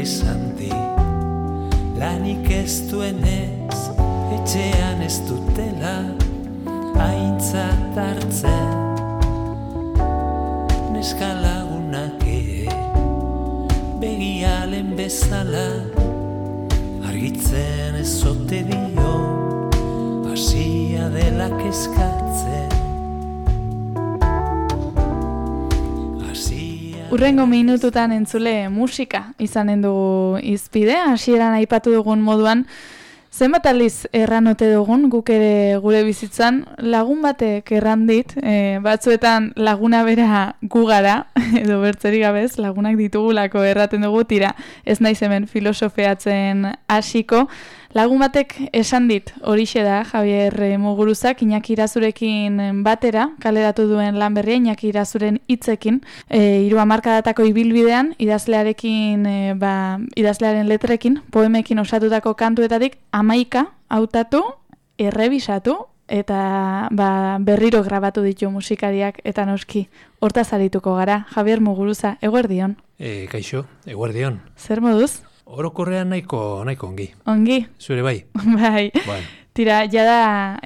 esan di, lanik ez duenez, etxean ez dutela aintzat hartzen. Neska lagunak begialen bezala argitzen ez ote dio, hasia dela kezkatzen. Urrengo minututan entzule musika izanen dugu izpide, hasieran aipatu dugun moduan, zenbat aldiz erran ote dugun guk ere gure bizitzan, lagun batek erran dit, batzuetan laguna bera gu gara, edo bertzerik gabez, lagunak ditugulako erraten dugu, tira, ez naiz hemen filosofeatzen hasiko. Lagun batek esan dit, horixe da, Javier Muguruzak, Iñaki Irazurekin batera, kaleratu duen lan berria, Iñaki Irazuren hitzekin, 3 hamarkadatako ibilbidean, idazlearekin, idazlearen letrekin, poemekin osatutako kantuetatik, 11 hautatu, errebisatu, eta berriro grabatu ditu musikariak, eta noski, hortaz arituko gara. Javier Muguruza, eguerdion. Kaixo, eguerdion. Zer moduz? Orokorrean nahiko ongi. Ongi? Zure bai? Bai. Tira, jada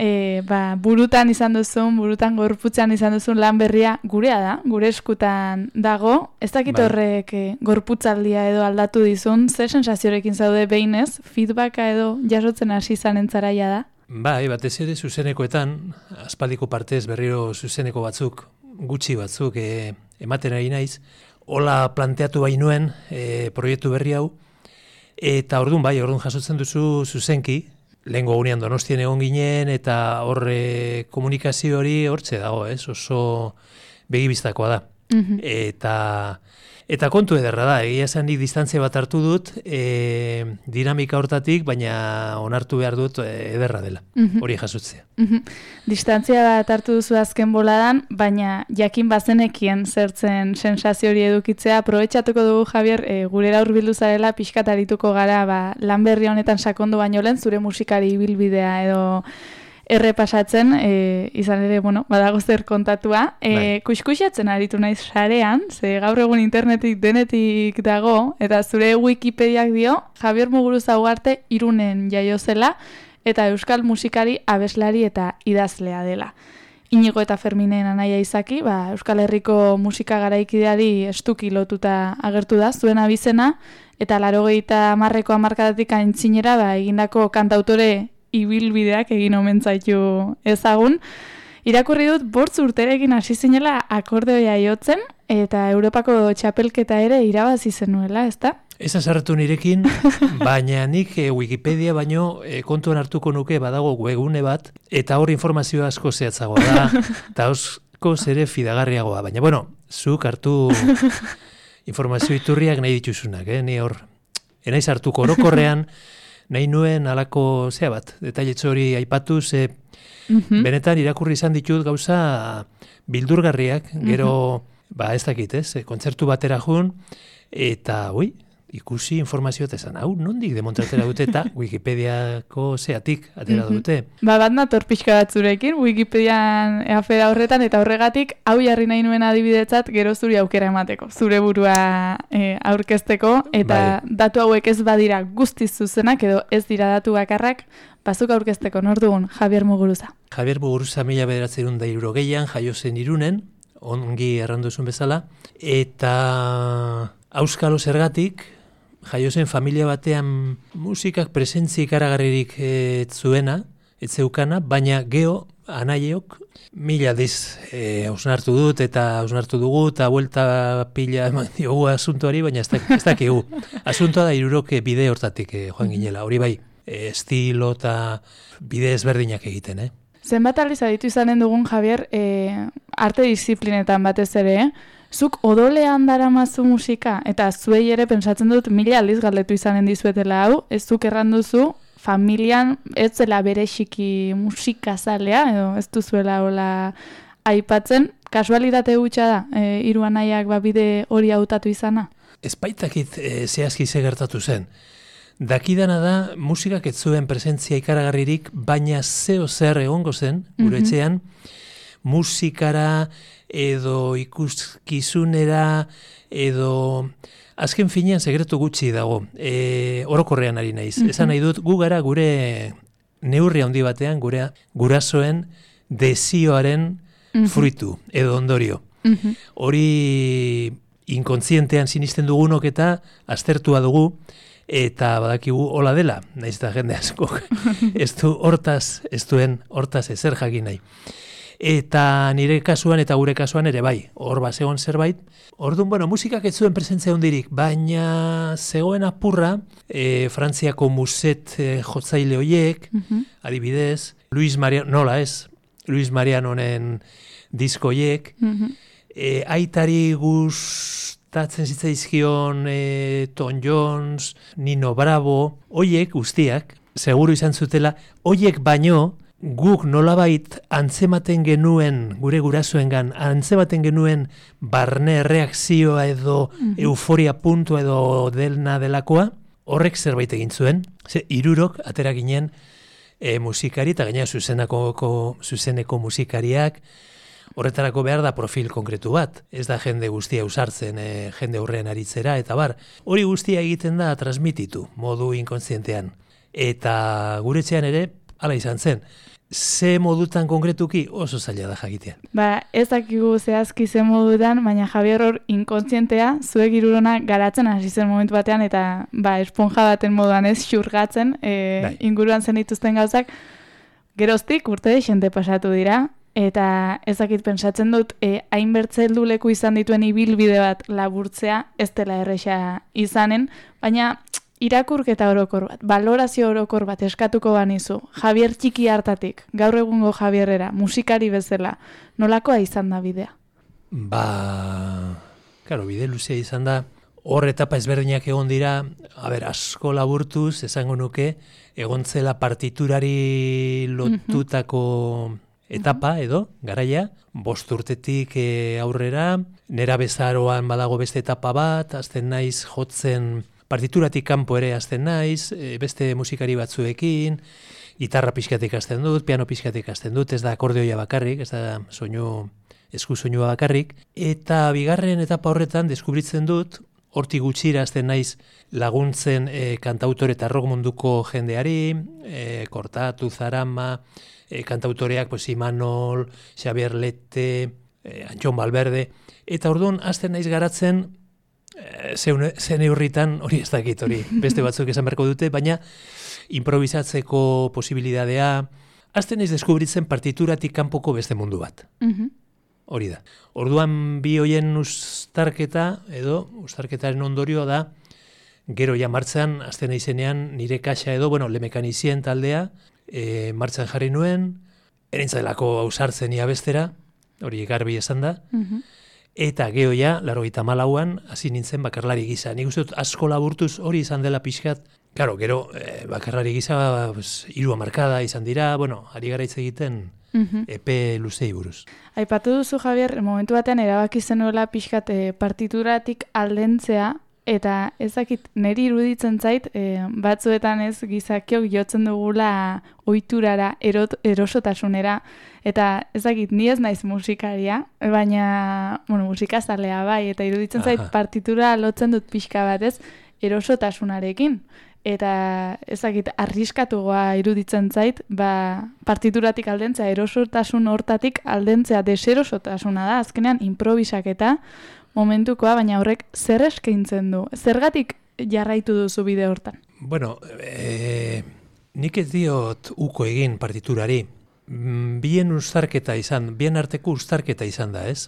burutan izan duzun, burutan gorputzan izan duzun lan berria gurea da, gure eskutan dago. Ez dakit horrek gorputzaldia edo aldatu dizun, ze sensaziorekin zaude behinez, feedbacka edo jasotzen hasi zanen zaraia da? Bai, batez ere zuzenekoetan, aspaldiko partez berriro zuzeneko batzuk, gutxi batzuk ematen ari naiz, hola planteatu bainuen proiektu berri hau, eta orduan jasotzen duzu zuzenki, lehengo gunean Donostien egon ginen, eta horre komunikazio hori hortze dago, oso begibistakoa da. Eta kontu ederra da, egia esan nik distantzia bat hartu dut, dinamika hortatik, baina onartu behar dut ederra dela, hori jasotzea. Distantzia bat hartu duzu azken boladan, baina jakin bazenekien zertzen sensazio hori edukitzea, aprobetxatuko dugu, Javier, gurera hurbildu zarela, pixkat arituko gara, lan berri honetan sakondu baino lehen, zure musikari ibilbidea edo errepasatzen, izan ere, badago zer kontatua. Kuskusatzen aritu naiz sarean, ze gaur egun internetik denetik dago, eta zure Wikipediak dio, Javier Muguruza Ugarte Irunen jaio zela, eta euskal musikari, abeslari eta idazlea dela. Inigo eta Ferminen anaia izaki, Euskal Herriko musika garaikideari estuki lotuta agertu da, zuen abizena, eta 80 hamarkadatik aintzinera egindako kantautore ibilbideak egin omen zaitu ezagun. Irakurri dut 5 urterekin hasi zinela akordeoia jotzen, eta Europako txapelketa ere irabazi zenuela, ezta? Ez azarretu nirekin, baina nik Wikipedia baino kontuan hartuko nuke badago webgune bat, eta hor informazio asko zehatzagoa da, eta asko zere fidagarriagoa. Baina, zuk hartu informazio iturriak nahi dituzunak, ni hor, enaiz hartuko orokorrean, nahi nuen alako detailetxo hori aipatu, benetan irakurri izan ditut gauza bildurgarriak, gero, ez dakit, kontzertu batera jun, eta, ikusi informazioa eta esan, nondik demontratera dute eta Wikipediako zeatik atera dute. Bat nator pixka bat zurekin, Wikipedian afera horretan, eta horregatik, hau jarri nahi nuen adibidetzat, gero zuri aukera emateko, zure burua aurkezteko, eta datu hauek ez badira guztiz zuzenak, edo ez dira datu bakarrak, bazuk aurkezteko, nor dugun, Javier Muguruza. Javier Muguruza 1960 jaio zen Irunen, ongi erranduzun bezala, eta auskalo zergatik, jaio zen familia batean musikak presentzia ikaragarririk zuena, ez zeukana, baina geho anaiok 1000 aldiz hausnartu dut eta hausnartu dugu eta buelta pila eman diogu asuntoari, baina ez dakigu. Asuntoa da 3 bide hortatik joan ginela, hori bai, estilo eta bide ezberdinak egiten, Zenbat aldiz aditu izanen dugun, Javier, arte disiplinetan batez ere, zuk odolean daramazu musika, eta zuei ere pentsatzen dut 1000 aldiz galdetu izanen dizuetela hau, ez zuk erranduzu, familian ez zela berexiki musikazalea, edo ez duzuela hola aipatzen, kasualitate hutsa da, 3 anaiak bide hori hautatu izana? Ez baitakit zehazki ze gertatu zen. Dakidana da, musikak ez zuen presentzia ikaragarririk, baina zeo zer egongo zen, gure etxean, musikara, edo ikuskizunera, edo azken finean sekretu gutxi dago. Orokorrean ari naiz. Esan nahi dut, gu gara gure neurri handi batean, gure gurasoen desioaren fruitu, edo ondorio. Hori inkontzientean sinisten dugunok eta aztertua dugu, eta badakigu hola dela, naiz eta jende askok ez duen hortaz ezer jakin nahi. Eta nire kasuan eta gure kasuan ere bai, hor bazegon zerbait. Orduan, musikak ez zuen presentzia hundirik, baina zegoen apurra, Frantziako muset jotzaile hoiek, adibidez, Luis Marianonen disko hoiek, aitari gustatzen zitzaizkion Tom Jones, Nino Bravo, hoiek guztiak, seguru izan zutela, hoiek baino, guk nolabait antzematen genuen, gure gurasoengan, antzematen genuen barne reakzioa edo euforia puntua edo delakoa, horrek zerbait egin zuen. Hirurok atera ginen musikari, eta gainera zuzeneko musikariak, horretarako behar da profil konkretu bat. Ez da jende guztia usartzen, jende aurrean aritzera, eta bar, hori guztia egiten da transmititu, modu inkontzientean. Eta gure etxean ere, hala izan zen. Ze modutan konkretuki oso zaila da jakitea. Ez dakigu zehazki ze modutan, baina Javier hor inkontzientea, zuek hirurona garatzen hasi zen momentu batean, eta esponja baten moduan ez xurgatzen, inguruan zen dituzten gauzak, geroztik urte xente pasatu dira, eta ez dakit pentsatzen dut, hainbertze helduleku izan dituen ibilbide bat laburtzea, ez dela erresa izanen, baina irakurketa orokor bat, balorazio orokor bat eskatuko banizu, Javier txiki hartatik, gaur egungo Javierrera, musikari bezala, nolakoa izan da bidea? Bide luzea izan da, hor etapa ezberdinak egon dira, asko laburtuz, esango nuke, egon zela partiturari lotutako etapa edo, garaia, 5 urtetik aurrera, nera bezaroan badago beste etapa bat, azten naiz jotzen partituratik kanpo ere hasten naiz, beste musikari batzuekin, gitarra pixkatik hasten dut, piano pixkatik hasten dut, ez da akordeoia bakarrik, ez da esku soinua bakarrik, eta bigarren etapa horretan deskubritzen dut, hortik gutxira hasten naiz laguntzen kantautore eta rock munduko jendeari, Kortatu, Zarama, kantautoreak Imanol, Xabier Lete, Antxon Balberde, eta orduan hasten naiz garatzen zen eurritan, hori ez dakit, hori beste batzuk esan beharko dute, baina improvisatzeko posibilidadea, hasten naiz deskubritzen partituratik kanpoko beste mundu bat. Hori da. Orduan bi hoien ustarketaren ondorioa da, gero ja martxan, hasten naizenean nire kaxa edo, Le Mekanizien taldea, martxan jarri nuen, erintzailako ausartzen ia bestera, hori garbi esan da, eta geho ja, 94an, hasi nintzen bakarlari gisa. Nik uste dut asko laburtuz hori izan dela pixkat, gero bakarlari gisa 3 hamarkada izan dira, ari gara hitz egiten epe luzei buruz. Aipatu duzu, Javier, momentu batean erabaki zenuela pixkat partituratik aldentzea, eta ezakit niri iruditzen zait, batzuetan ez gizakiok jotzen dugula ohiturara, erosotasunera, eta ezakit ni ez naiz musikaria, baina, musikazalea bai, eta iruditzen zait partitura lotzen dut pixka bat ez, erosotasunarekin. Eta ezakit arriskatugoa iruditzen zait, partituratik aldentzea, erosotasun hortatik aldentzea, deserosotasuna da, azkenean improvisaketa momentukoa, baina horrek zer eskaintzen du? Zergatik jarraitu duzu bide hortan? Nik ez diot uko egin partiturari. Bien arteko uztarketa izan da, ez?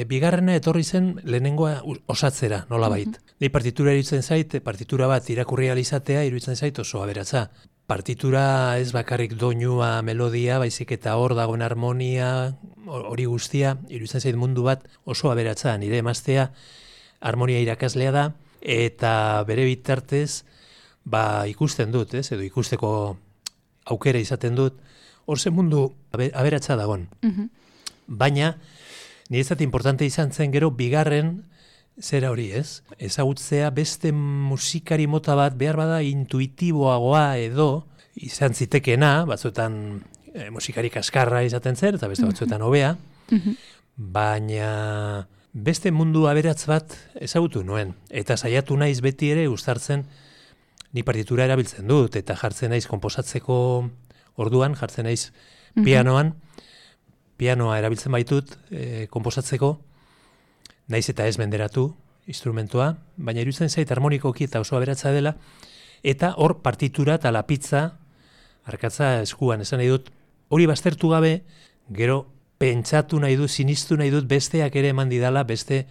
Bigarrena etorri zen lehenengoa osatzera, nolabait. Nei partitura iruditzen zait, partitura bat irakurri alizatea iruditzen zait oso aberatsa. Partitura ez bakarrik doinua, melodia, baizik eta hor dagoen harmonia, hori guztia, iruditzen zait mundu bat oso aberatsa. Nire emaztea harmonia irakaslea da, eta bere bitartez ikusten dut, ez? Edo ikusteko aukera izaten dut, hor zen mundu aberatsa dagoen. Baina, niretzat importante izan zen gero, bigarren zera hori, ez? Ezagutzea beste musikari mota bat behar bada intuitiboagoa edo izan zitekeena, batzuetan musikari kaskarra izaten zen, eta beste batzuetan hobea, baina beste mundu aberatz bat ezagutu nuen, eta saiatu naiz beti ere uztartzen ni partitura erabiltzen dut, eta jartzen naiz konposatzeko orduan, jartzen naiz pianoan, pianoa erabiltzen baitut konposatzeko, naiz eta ez menderatu instrumentua, baina iruditzen zait harmonikoki eta oso aberatza dela, eta hor partitura eta lapitza, arkatza eskuan, esan nahi dut, hori baztertu gabe, gero pentsatu nahi dut, sinistu nahi dut, besteak ere eman didala, beste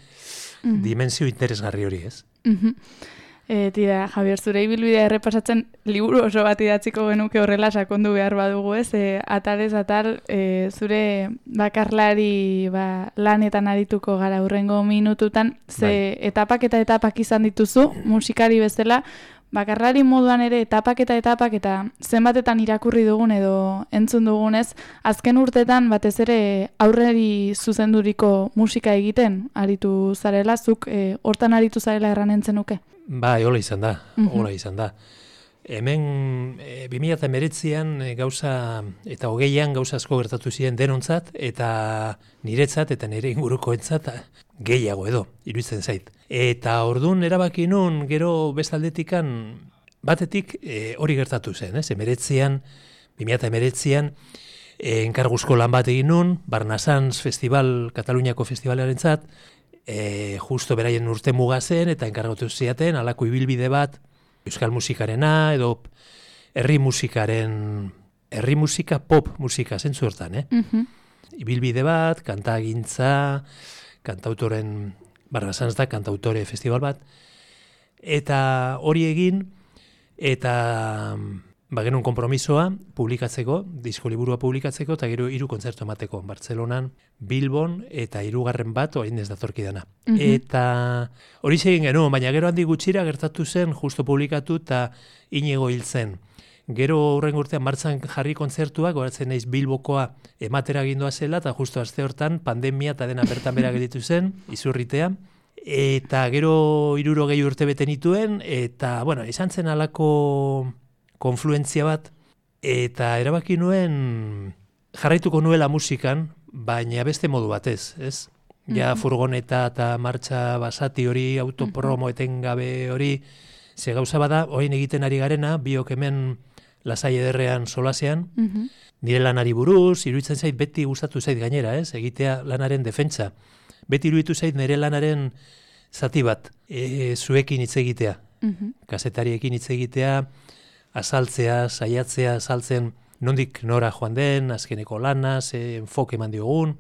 dimensio interesgarri hori, ez? Tira, Javier, zure ibilbidea errepasatzen liburu oso bat idatziko genuke horrela sakondu behar badugu, ez? Atalez atal, zure bakarlari lanetan arituko gara hurrengo minututan, ze etapak eta etapak izan dituzu, musikari bezala, bakarlari moduan ere etapak eta zenbatetan irakurri dugun edo entzun dugunez, azken urtetan batez ere aurreri zuzenduriko musika egiten aritu zarela, zuk hortan aritu zarela erranen zenuke? Bai, hola izan da, hola izan da. Hemen 2019an gauza eta 20an gauza asko gertatu ziren denontzat eta niretzat eta nire ingurukoentzat gehiago edo, iruditzen zait. Eta ordun erabaki nun gero bestaldetikan batetik hori gertatu zen, ez? 2019an enkarguzko lan bat egin nun, Barnasans Festival, Kataluniako festibalarentzat, justo beraien urte muga zen eta enkargatu ziaten halako ibilbide bat euskal musikarena edo herri musika pop musika zentzu hortan, Ibilbide bat, kantagintza, kantautoren Barnasans da kantautore festival bat, eta hori egin eta genuen konpromisoa publikatzeko, disko liburua publikatzeko, eta gero 3 kontzertu emateko, Bartzelonan, Bilbon, eta 3. bat, orain ez datorkidana. Eta hori egin genuen, baina gero handi gutxira gertatu zen, justo publikatu, eta Inigo hil zen. Gero hurrengo urtean martxan jarri kontzertuak, goratzen naiz Bilbokoa ematera gindoa zela, eta justo aste hortan pandemia eta dena bertan bera gelditu zen, izurritea. Eta gero 60 urte bete nituen, eta, izan zen halako konfluentzia bat, eta erabaki nuen jarraituko nuela musikan, baina beste modu batez, ez? Ja furgoneta eta martxa basati hori, autopromo etengabe hori, ze gauza bada, orain egiten ari garena, biok hemen lasai ederrean solasean, nire lanari buruz, iruditzen zait beti gustatu zait gainera, ez? Egitea lanaren defentsa. Beti iruditu zait nire lanaren zati bat, zuekin hitz egitea, kazetariekin hitz egitea, azaltzea, saiatzea, azaltzen nondik nora joan den, azkeneko lana, ze enfoke eman diogun,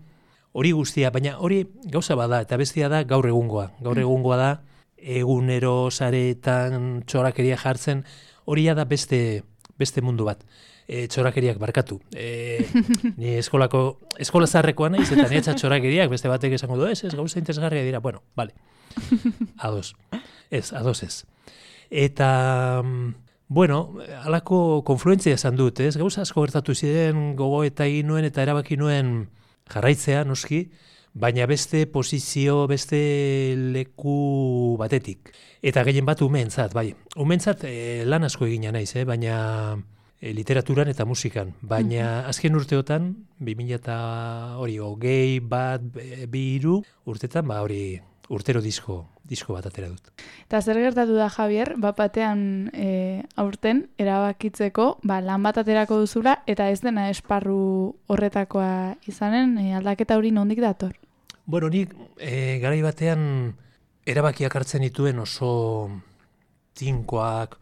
hori guztia, baina hori gauza bada, eta bestia da gaur egungoa. Gaur egungoa da, egunero saretan txorakeria jartzen, hori da beste mundu bat. Txorakeriak barkatu. Ni eskola zaharrekoa naiz, eta nietza txorakeriak, beste batek esango du, ez gauza interesgarria dira, bale. Ados. Ez. Eta halako konfluentzia esan dut, ez? Gauza asko gertatu ziren gogo eta egin nuen eta erabaki nuen jarraitzea, noski, baina beste posizio, beste leku batetik. Eta gehien bat umeentzat, bai. Umeentzat lan asko egina naiz, baina literaturan eta musikan. Baina azken urteotan, 2020 bat, 2 urtetan, hori urtero disko bat atera dut. Eta zer gertatu da, Javier, batean aurten erabakitzeko, lan bat aterako duzula, eta ez dena esparru horretakoa izanen, aldaketa hori nondik dator? Nik garai batean erabakiak hartzen dituen oso tinkoak,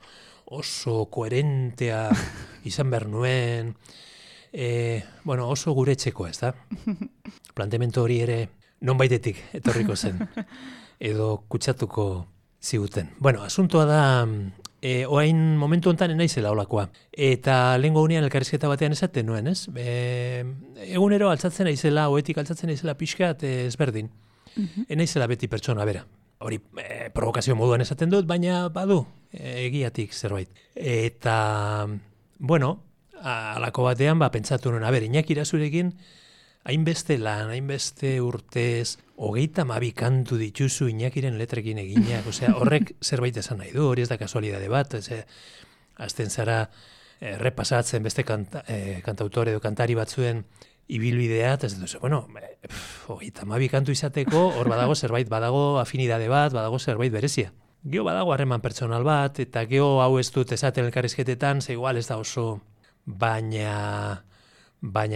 oso koherentea izan behar nuen, oso gure etxeko, ez da? Planteamendu hori ere nonbaitetik etorriko zen, edo kutsatuko ziguten. Asuntoa da, oain momentu honetan enaizela olakoa. Eta lehengo gunean elkarrizketa batean esaten nuen, ez? Egunero altzatzen naizela, oetik altzatzen naizela pixkat ezberdin. Enaizela beti pertsona bera. Hori provokazio moduan esaten dut, baina badu egiatik zerbait. Eta, halako batean, pentsatu nuen, Iñaki Irazurekin, hainbeste lan, hainbeste urtez, 32 kantu dituzu Iñakiren letrekin eginak, horrek zerbait esan nahi du, hori ez da kasualidade bat, azten zara repasatzen beste kantautore edo kantari batzuen ibilbidea, eta ez dut, bueno, 32 kantu izateko, hor badago afinidade bat, badago zerbait berezia. Geo badago harreman pertsonal bat, eta geo hau ez dut esaten elkarrizketetan, ze igual ez da oso, baina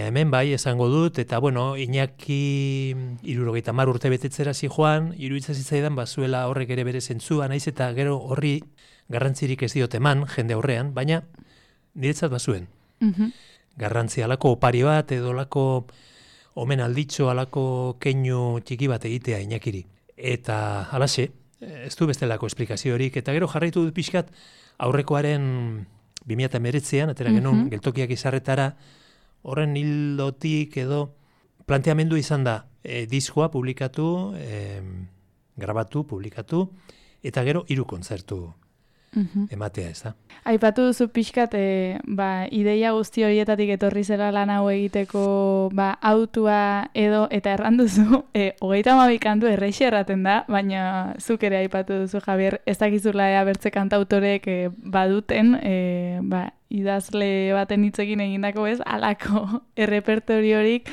hemen bai esango dut, eta bueno, Iñaki 70 urte betetzera zijoan, iruditzen zitzaidan bazuela horrek ere bere zentzua, naiz eta gero horri garrantzirik ez diot eman, jende aurrean, baina niretzat bazuen. Garrantzi alako opari bat, edo alako omen alditxo, alako keinu txiki bat egitea Iñakiri. Eta halaxe, ez du bestelako esplikaziorik, eta gero jarraitu dut pixkat aurrekoaren 2019an, atera genuen, geltokiak izarretara, horren hildotik edo planteamendu izan da diskoa publikatu, grabatu, publikatu, eta gero 3 kontzertu ematea, ez da. Aipatu duzu pixkat, ideia guzti horietatik etorri zela lan hau egiteko autua edo, eta erranduzu, 32 kantu erreixe erraten da, baina zuk ere aipatu duzu, Javier, ez dakizula bertze kantautorek baduten, idazle baten hitzekin egindako ez, alako errepertoriorik,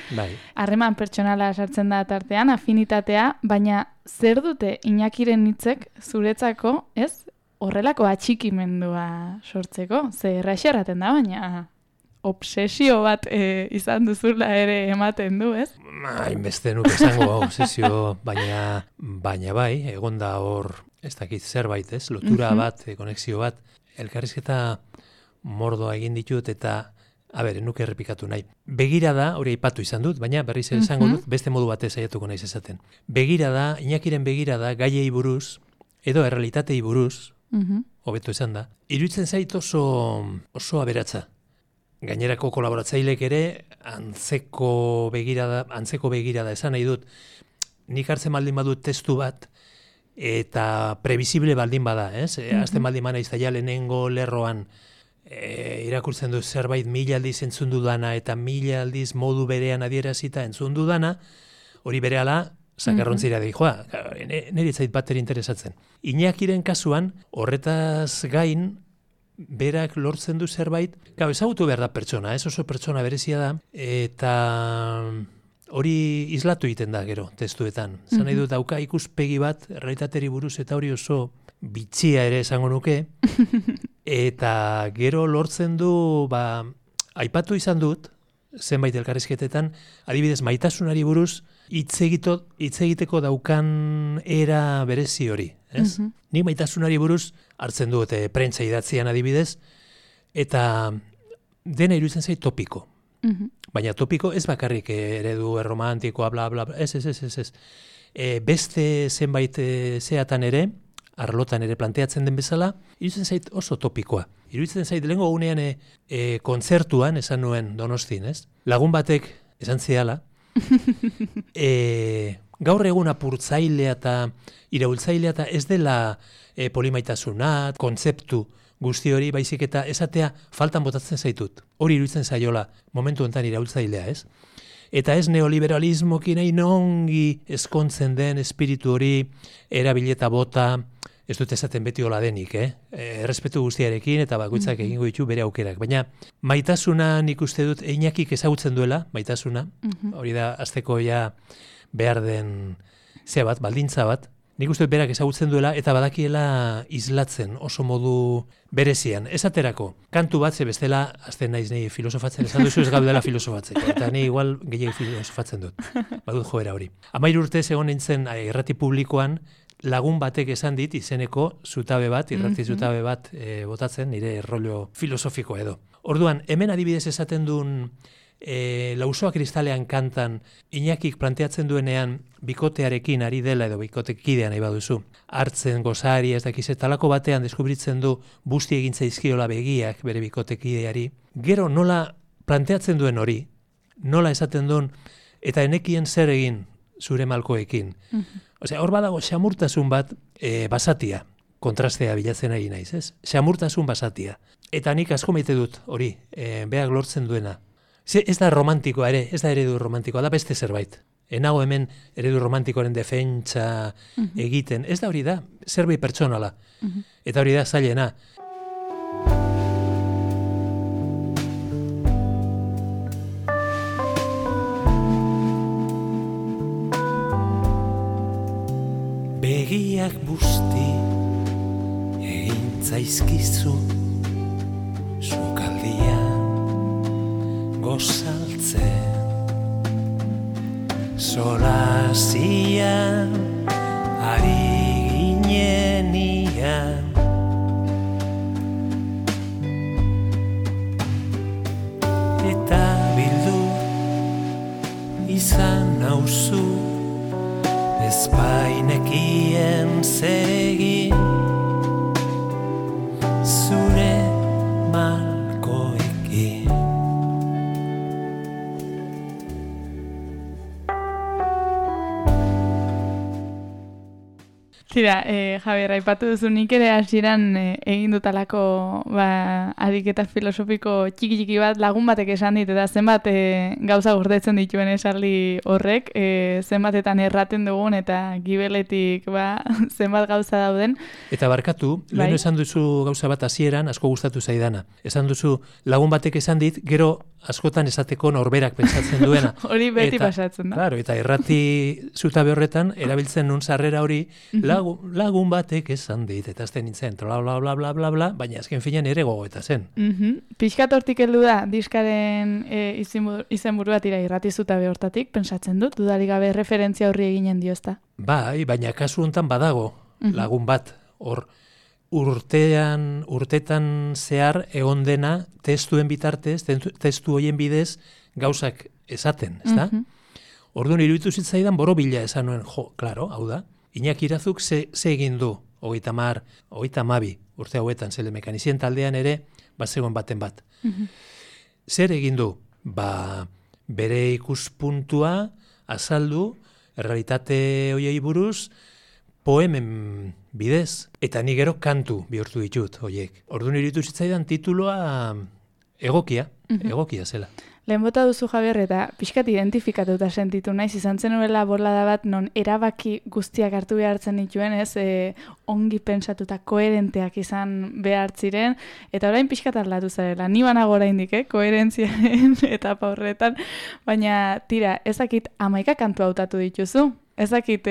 harreman pertsonala sartzen da tartean, afinitatea, baina zer dute Iñakiren hitzek zuretzako, ez? Horrelako atxikimendua sortzeko, ze erraxe erraten da, baina obsesio bat izan duzula ere ematen du, ez? Hainbeste nuke esango obsesio, baina bai, egon da hor, ez dakit zerbait, ez? Lotura bat, konexio bat, elkarrizketa mordoa egin ditut eta, nuke errepikatu nahi. Begirada, hori aipatu izan dut, baina berriz esango dut, beste modu batez saiatuko naiz esaten. Begirada, Iñakiren begirada, gaiei buruz, edo errealitatei buruz, hobeto esan da, iruditzen zait oso aberatsa. Gainerako kolaboratzailek ere antzeko begirada esan nahi dut. Nik hartzen baldin badut testu bat eta previsible baldin bada, ez? Azten baldin bana iztaia lehenengo lerroan irakurtzen du zerbait 1000 aldiz entzun dudana eta 1000 aldiz modu berean adierazita entzun dudana, hori berehala zakarrontzira dijoa, nire zait bateri interesatzen. Iñakiren kasuan, horretaz gain, berak lortzen du zerbait, ezagutu behar da pertsona, ez oso pertsona berezia da, eta hori islatu egiten da gero, testuetan. Zan nahi dut, dauka ikuspegi bat, errealitateri buruz, eta hori oso bitxia ere esango nuke, eta gero lortzen du, aipatu izan dut, zenbait elkarrizketetan, adibidez maitasunari buruz, hitz egiteko daukan era berezi hori, ez? Nik maitasunari buruz hartzen dut prentsa idatzian adibidez, eta dena iruditzen zait topiko. Baina topiko ez bakarrik eredu erromantikoa, bla, bla, bla, ez. Beste zenbait zeatan ere, arlotan ere planteatzen den bezala, iruditzen zait oso topikoa. Iruditzen zait lehengo gunean kontzertuan, esan nuen Donostin, ez? Lagun batek esan ziala, gaur egun apurtzailea eta iraultzailea eta ez dela polimaitasuna, kontzeptu guzti hori, baizik eta esatea faltan botatzen zaitut. Hori iruditzen zaiola momentu honetan iraultzailea, ez? Eta ez neoliberalismokin nahi nongi eskontzen den espiritu hori erabileta bota, ez dut esaten beti hola denik, errespetu guztiarekin eta bakoitzak egingo ditu bere aukerak. Baina maitasuna nik uste dut Iñakik ezagutzen duela, maitasuna, hori da azteko ja behar den baldintza bat, nik uste dut berak ezagutzen duela eta badakiela islatzen oso modu berezian. Esaterako, kantu bat ze bestela, azten naiz nahi filosofatzen, esan duzu ez gaudela filosofatzeko, eta ni igual gehiago filosofatzen dut, badut joera hori. 13 urtez egon nintzen irrati publikoan, lagun batek esan dit izeneko zutabe bat, irrati zutabe bat botatzen, nire rollo filosofiko edo. Orduan, hemen adibidez esaten duen Lausoa kristalean kantan Iñakik planteatzen duenean bikotearekin ari dela edo bikotekidean nahi baduzu. Hartzen gozari ez dakiz talako batean deskubritzen du busti egin zaizkiola begiak bere bikotekideari. Gero nola planteatzen duen hori, nola esaten duen eta enekien zer egin zure malkoekin. Osea, hor badago xamurtasun bat basatia, kontrastea bilatzen ari naiz, ez? Xamurtasun basatia. Eta nik asko maite dut hori, beak lortzen duena. Ez da romantikoa ere, ez da eredu romantikoa, da beste zerbait. Enago hemen eredu romantikoaren defentsa egiten. Ez da hori da, zerbait pertsonala. Eta hori da zailena. Argiak busti egin zaizkizu sukaldian gozaltzen solazian ari ginenian eta bildu izan nauzu ezpainekien zer egin zure malkoekin. Tira, Javier, aipatu duzu nik ere hasieran egin dutalako ariketa filosofiko txiki bat lagun batek esan dit, eta zenbat gauza gordetzen dituen esaldi horrek, zenbatetan erraten dugun eta gibeletik zenbat gauza dauden. Eta barkatu, lehen esan duzu gauza bat hasieran asko gustatu zaidana. Esan duzu lagun batek esan dit, gero askotan esateko norberak pentsatzen duena. Hori beti pasatzen da. Claro, eta errati zutabe horretan, erabiltzen nun sarrera hori, lagun batek esan dit, eta azten nintzen, bla, bla, bla, bla, bla, bla, baina azken finean ere gogoeta zen. Pixkat hortik heldu da, diskaren izenburu bat irrati zutabe hortatik, pentsatzen dut, dudarik gabe referentzia horri eginen dio, ezta? Bai, baina kasu honetan badago lagun bat, hor, urtetan zehar egon dena testuen bitartez, testu hoien bidez gauzak esaten, ezta? Orduan iruditu zitzaidan borobila esan nuen, klaro, hau da, Iñaki Irazuk ze egin du, 32 urte hauetan, zele mekanizien taldean ere, zegoen baten bat. Zer egin du? Bere ikuspuntua azaldu, errealitate hoiei buruz, poemen bidez, eta ni gero kantu bihurtu ditut hoiek. Orduan iruditu zitzaidan tituloa egokia zela. Lehen bota duzu, Javier, eta pixkat identifikatuta sentitu naiz, izan zen nuela bolada bat non erabaki guztiak hartu behartzen dituen, ongi pentsatuta koherenteak izan behartziren, eta orain pixkat aldatu zarela. Ni banago oraindik, koherentziaren etapa horretan, baina tira, ezakit 11 kantu hautatu dituzu. Ezakit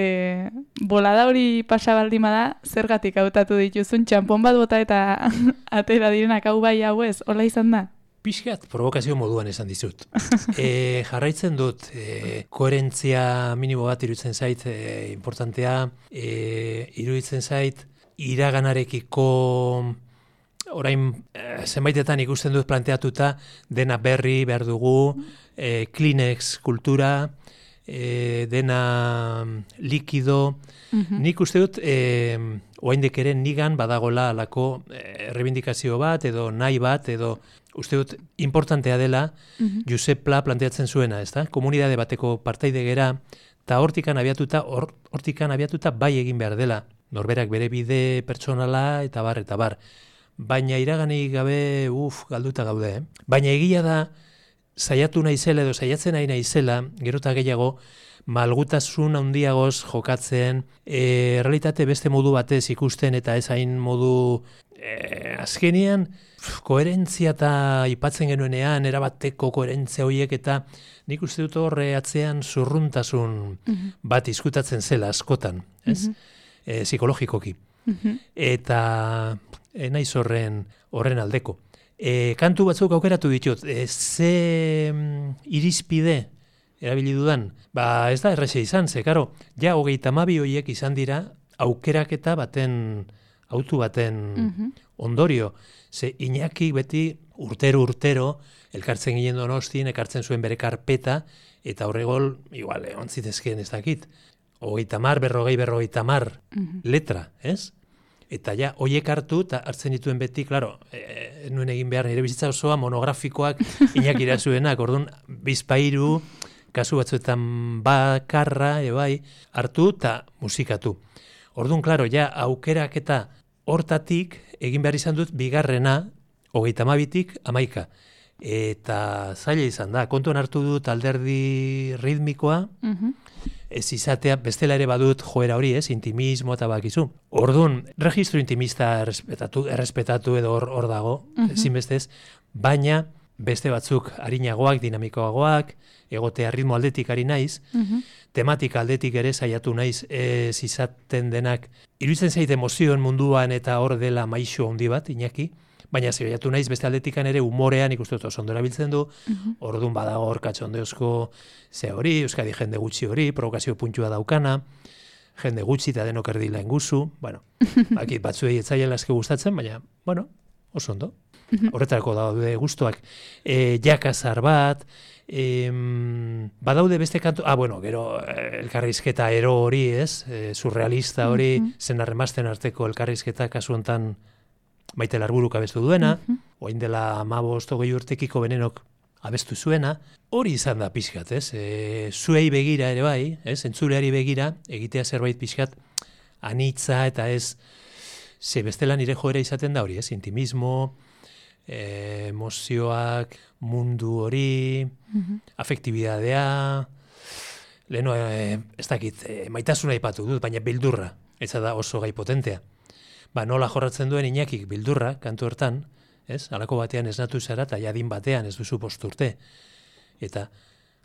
bolada hori pasabaldima da, zergatik hautatu dituzun, txampon bat bota eta atera direnak hau bai hau ez, hola izan da? Pixkat, provokazio moduan esan dizut. Jarraitzen dut, koherentzia minimo bat iruditzen zait, importantea, iruditzen zait, iraganarekiko, orain zenbaitetan ikusten dut planteatuta, dena berri behar dugu, Kleenex kultura, dena likido, nik uste dut, oraindik ere nigan badagola alako errebindikazio bat, edo nahi bat, edo uste dut importantea dela Josep Pla planteatzen zuena, ezta? Komunidade bateko partaide gera, eta hortikan abiatuta bai egin behar dela. Norberak bere bide pertsonala eta bar. Baina iraganik gabe, galduta gaude. Baina egia da, saiatu naizela edo saiatzen nahi naizela, gero eta gehiago, malgutasun handiagoz jokatzen, realitate beste modu batez ikusten eta ez hain modu azkenian, koherentzia eta aipatzen genuenean, erabateko koherentzia horiek eta nik uste dut horre atzean zurruntasun bat izkutatzen zela askotan, ez? Psikologikoki. Eta naiz horren aldeko. Kantu batzuk aukeratu ditut, ze irizpide erabili dudan, ez da errese izan, ze, karo, ja 32 horiek izan dira aukeraketa autu baten ondorio. Ze Iñaki beti urtero elkartzen ginen Donostin, ekartzen zuen bere karpeta, eta horregol, igual, ontzitezkeen ez dakit, 40 letra, ez? Eta ja, hoiek hartu, eta hartzen dituen beti, klaro, nuen egin behar nire bizitza osoa monografikoak Iñaki Irazuenak, orduan, bizpairu, kasu batzuetan bakarra, hartu eta musikatu. Orduan, klaro, ja, aukerak eta hortatik, egin behar izan dut, bigarrena, 32tik 11. Eta zaila izan da, kontuan hartu dut alderdi ritmikoa, ez izatea, bestela ere badut joera hori, intimismo eta bakizu. Orduan, registro intimista errespetatu edo hor dago, ezinbestez, baina beste batzuk arinagoak, dinamikoagoak, egotea ritmo aldetik ari naiz, tematika aldetik ere saiatu naiz ez izaten denak iruditzen zait emozioen munduan eta hor dela maixo handi bat, Iñaki, baina zebaiatu naiz beste aldetikan ere umorean ikusten dut oso ondo erabiltzen du, orduan badago hor katxondeozko ze hori, Euskadi jende gutxi hori, provokazio puntua daukana, jende gutxi eta denok erdila enguzu, bueno, bakit batzuei etzaiela eske gustatzen, baina, bueno, oso ondo. Horretarako daude gustoak. Jakazar bat, badaude beste kantu, bueno, gero elkarrizketa ero hori, ez? Surrealista hori, zenarremazten arteko elkarrizketa kasu hontan Maite Larburuk abestu duena, orain dela 15-20 urtekiko Benenok abestu zuena, hori izan da pixkat, ez? Zuei begira ere bai, ez? Entzuleari begira, egitea zerbait pixkat anitza eta ez, ze bestela nire joera izaten da hori, ez? Intimismo, emozioak, mundu hori, afektibidadea, leheno, ez dakit, maitasuna aipatu dut, baina bildurra, ez da oso gai potentea. Nola jorratzen duen Iñakik bildurra, kantu hortan, ez? Halako batean esnatu zara eta jadin batean ez duzu 5 urte. Eta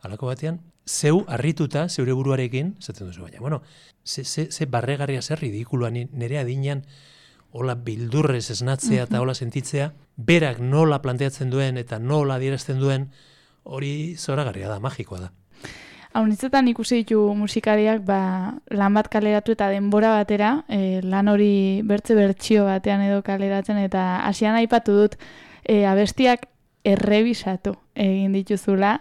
halako batean, zeu harrituta, zeure buruarekin, zaten duzu, baina, bueno, ze barregarria zer ridikuloa nire adinean, hola bildurrez esnatzea eta hola sentitzea, berak nola planteatzen duen eta nola adierazten duen, hori zoragarria da, magikoa da. Haunitzetan ikusi ditu musikariak lan bat kaleratu eta denbora batera, lan hori bertsio batean edo kaleratzen, eta hasian aipatu dut abestiak errebisatu egin dituzula,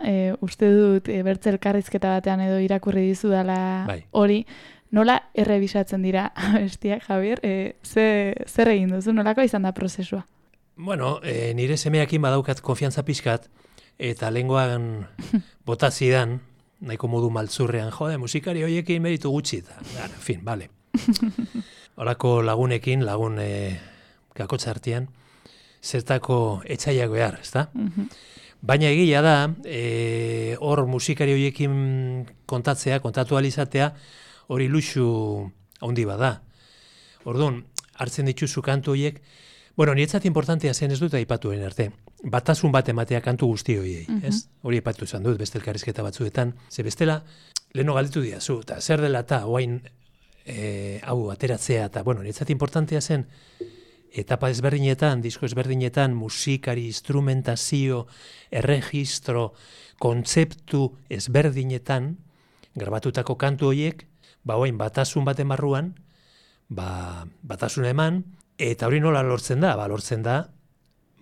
uste dut bertze elkarrizketa batean edo irakurri dizudala hori, nola errebisatzen dira abestiak, Javier? Zer egin duzu, nolako izan da prozesua? Bueno, nire semeakin badaukat konfiantza pixkat, eta lenguan botazidan, nahiko modu maltzurrean, musikari horiekin meritu gutxi, eta, en fin, bale. Horako lagunekin, lagun kakotxa artean, zertako etxaiak behar, ezta? Baina egia da, hor musikari horiekin kontatzea, kontatu alizatea, hori luxu handi bada. Orduan, hartzen dituzu kantu horiek, bueno, niretzat importantea zen ez dut aipatuen arte. Batasun bat ematea kantu guzti horiei, ez? Hori aipatu izan dut, beste elkarrizketa batzuetan. Ze bestela, leheno galdetu diazu, eta zer dela eta oain hau ateratzea, eta, bueno, niretzat importantea zen, etapa ezberdinetan, disko ezberdinetan, musikari, instrumentazio, erregistro, kontzeptu ezberdinetan, grabatutako kantu horiek, oain batasun bat emarruan, batasun eman, eta hori nola lortzen da? Lortzen da,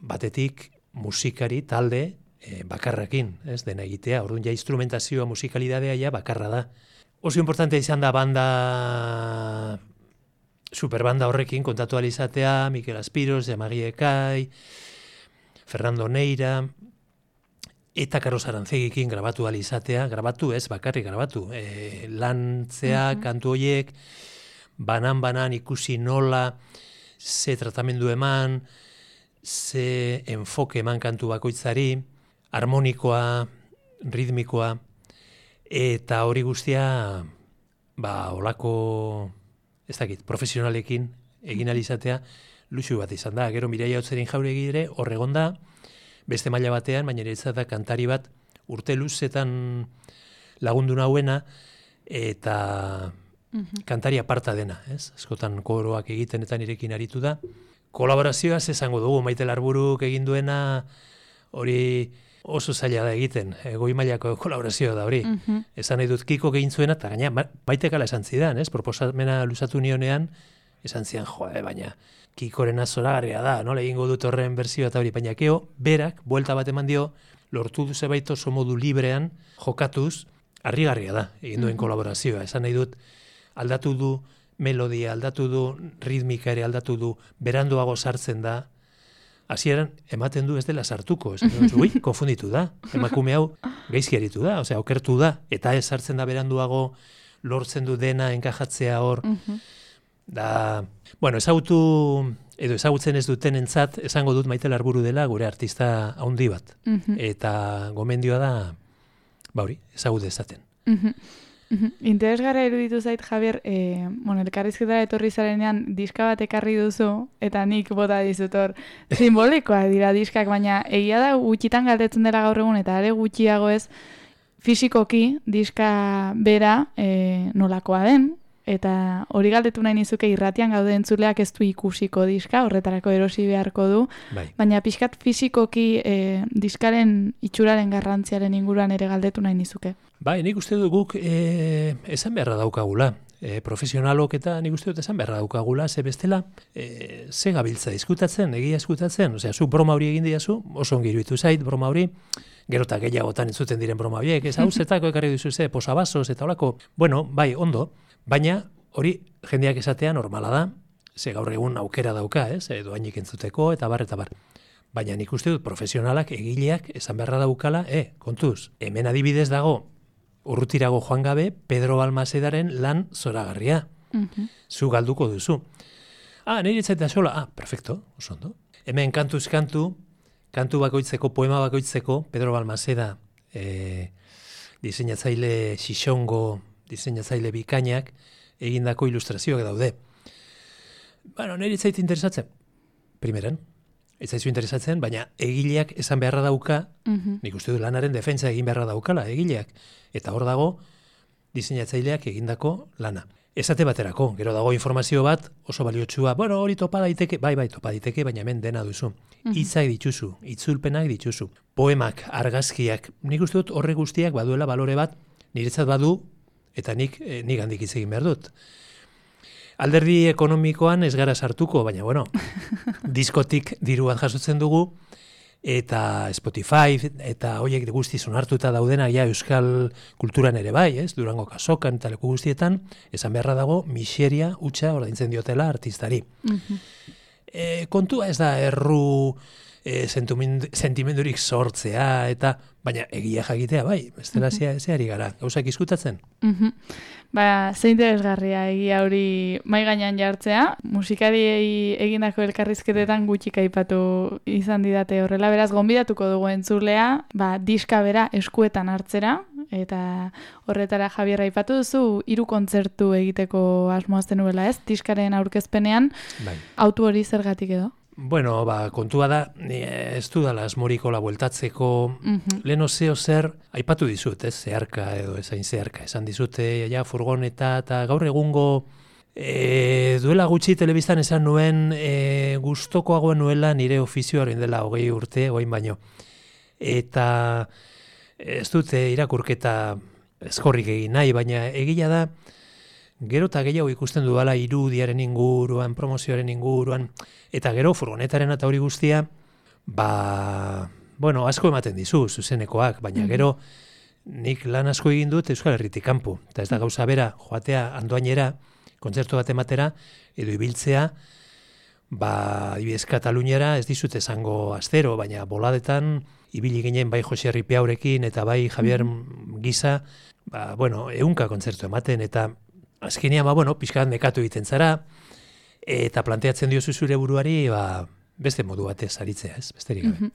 batetik musikari, talde, bakarrakin, ez, dena egitea. Orduan ja instrumentazioa, musikalidadea ja bakarra da. Oso importantea izan da superbanda horrekin kontatu alizatea, Mikel Aspiros, Jamagi Ekai, Fernando Neira, eta Carlos Arantzegikin grabatu alizatea, grabatu ez, bakarrik grabatu. Lantzea, kantu horiek, banan ikusi nola, ze tratamendu eman, ze enfoke eman kantu bakoitzari, harmonikoa, ritmikoa, eta hori guztia, olako, ez dakit, profesionalekin egin alizatea, luxu bat izan da. Gero Mireia Otzerin Jauregi ere, horregon da, beste maila batean, baina niretzat da kantari bat urte luzetan lagundu nauena, eta kantari aparta dena, ez? Askotan koroak egiten eta nirekin aritu da. Kolaborazioaz esango dugu, Maite Larburuk egin duena hori oso zaila da egiten, goi mailako kolaborazioa da hori. Esan nahi dut Kiko egin zuena, eta gaina Maitek ala esan zidan, ez? Proposamena luzatu nionean, esan zidan, baina Kikorena zoragarria da, nola egingo dut horren berzioa eta hori, baina keo, berak, buelta bat eman dio, lortu du zebait oso modu librean, jokatuz, harrigarria da, egin duen kolaborazioa. Esan nahi dut, aldatu du melodia, aldatu du ritmika ere, aldatu du beranduago sartzen da, hasieran ematen du ez dela sartuko, konfunditu da, emakume hau gaizki aritu da, okertu da, eta ez sartzen da beranduago, lortzen du dena enkajatzea hor, da, bueno, ezagutzen ez duten entzat, esango dut Maite Larburu dela gure artista handi bat, eta gomendioa da, hori, ezagut ezaten. Interesgarra eruditu zait, Javier, elkarrizketara etorri zarenean diska bat ekarri duzu, eta nik bota dizut hor, simbolikoa dira diskak, baina egia da gutxitan galdetzen dela gaur egun, eta are gutxiago ez, fisikoki diska bera nolakoa den, eta hori galdetu nahi nizuke irratian gaude entzuleak ez du ikusiko diska, horretarako erosi beharko du, baina pixkat fisikoki diskaren itxuraren garrantziaren inguruan ere galdetu nahi nizuke. Bai, nik uste dut guk esan beharra daukagula. Profesionalok eta nik uste dut esan beharra daukagula, ze bestela, ze gabiltza diskutatzen, egia eskutatzen, osea, zu broma hori egin diazu, oso ongi iruditu zait broma hori, gero eta gehiagotan entzuten diren broma horiek, ez hau zetako ekarri duzu ze, posabazos eta holako, bueno, bai, ondo, baina hori jendeak esatea normala da, ze gaur egun aukera dauka, doainik entzuteko eta bar. Baina nik uste dut profesionalak, egileak, esan beharra daukala, kontuz, hemen adibidez dago, urrutirago joan gabe, Pedro Balmasedaren lan zoragarria. Zu galduko duzu. Nire etzaita sola, perfecto, oso ondo. Hemen kantuz kantu bakoitzeko, poema bakoitzeko, Pedro Balmaseda, diseinatzaile xixongo, diseinatzaile bikainak, egindako ilustrazioak daude. Bueno, nire etzait interesatzen, primeran, etzaizu interesatzen, baina egileak esan beharra dauka, nik uste du lanaren defentsa egin beharra daukala, egileak, eta hor dago diseinatzaileak egindako lana. Esate baterako, gero dago informazio bat, oso baliotsua, bueno, hori topa daiteke, bai, topa daiteke, baina hemen dena duzu. Hitzak dituzu, itzulpenak dituzu, poemak, argazkiak, nik uste dut horre guztiak baduela balore bat, niretzat badu, eta nik handik hitz egin behar dut. Alderdi ekonomikoan ez gara sartuko, baina, bueno, diskotik diru bat jasotzen dugu, eta Spotify, eta horiek guztiz onartuta daudenak ja euskal kulturan ere bai, Durango kasokan eta leku guztietan, esan beharra dago, miseria hutsa ordaintzen diotela artistari. Kontua ez da erru sentimendurik sortzea, eta baina egia jakitea bai, bestela zeari gara, gauzak izkutatzen. Ze interesgarria egia hori mai gainean jartzea, musikariei egindako elkarrizketetan gutxik aipatu izan didate horrela, beraz gonbidatuko dugu entzulea, diska bera eskuetan hartzera, eta horretara Javier aipatu duzu 3 kontzertu egiteko asmoazten nuela diskaren aurkezpenean, autu hori zergatik edo? Bueno, kontua da, ez dudala asmorikola bueltatzeko, leheno zer, aipatu dizut, zeharka edo ezain zeharka, esan dizute, furgoneta eta gaur egungo, duela gutxi telebistan esan nuen, gustokoagoen nuela nire ofizioaren dela 20 urte, oin baino. Eta ez dute irakurketa eskorrik egin nahi, baina egila da, gero eta gehiago ikusten dudala irudiaren inguruan, promozioaren inguruan, eta gero furgonetaren eta hori guztia, asko ematen dizu, zuzenekoak, baina gero nik lan asko egin dut Euskal Herritik kanpo. Eta ez da gauza bera, joatea Andoainera, kontzertu bat ematera, edo ibiltzea, adibidez Kataluniara ez dizut esango astero, baina boladetan, ibili ginen bai Jose Arripiaurekin eta bai Javier Giza, 100 kontzertu ematen, eta azkenean, pixkat nekatu egiten zara, eta planteatzen diozu zure buruari, beste modu batez aritzea, besterik gabe.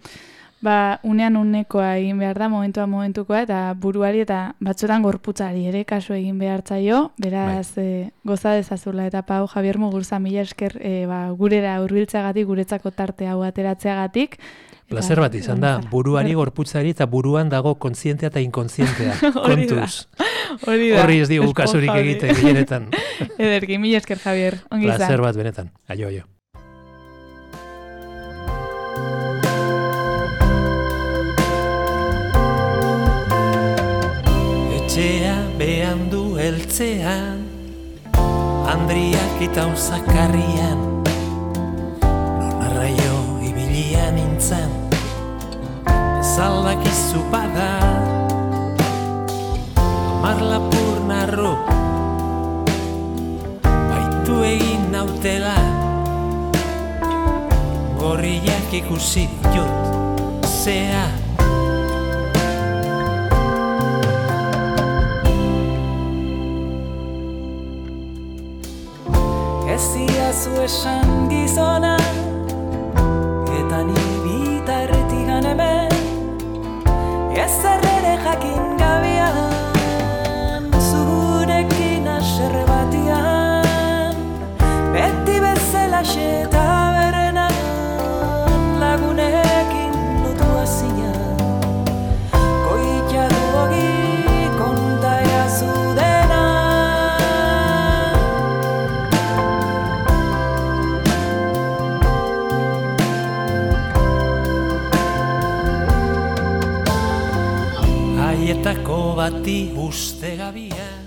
Unean unekoa egin behar da, momentukoa, eta buruari eta batzuetan gorputzari ere kasu egin behar zaio, beraz, goza dezazula, eta Pau, Javier Mugurza, mila esker gurera hurbiltzeagatik, guretzako tarte hau ateratzeagatik. Plazer bat izan da, buruari, gorputzari eta buruan dago kontzientea eta inkontzientea, kontuz. Horri ez digu kasurik egiten, gilenetan. Ederki, mila esker, Javier, ongi izan. Plazer bat benetan, aio. Etxea behan du heltzean, Andriak eta Uzakarrian, non arraio ibilian nintzen, zaldakizu bada, Marlapur narro, baitu egin nautela, gorriak ikusi ditut, zea. Ez diazu esan gizona, eta ni bitarretigan hemen, ez ere jakin gabian, zurekin aserre batian, beti bezala eta berenan, lagunekin lotua zinan, goitia duogi konta jazu dena. haietako bati uste gabia.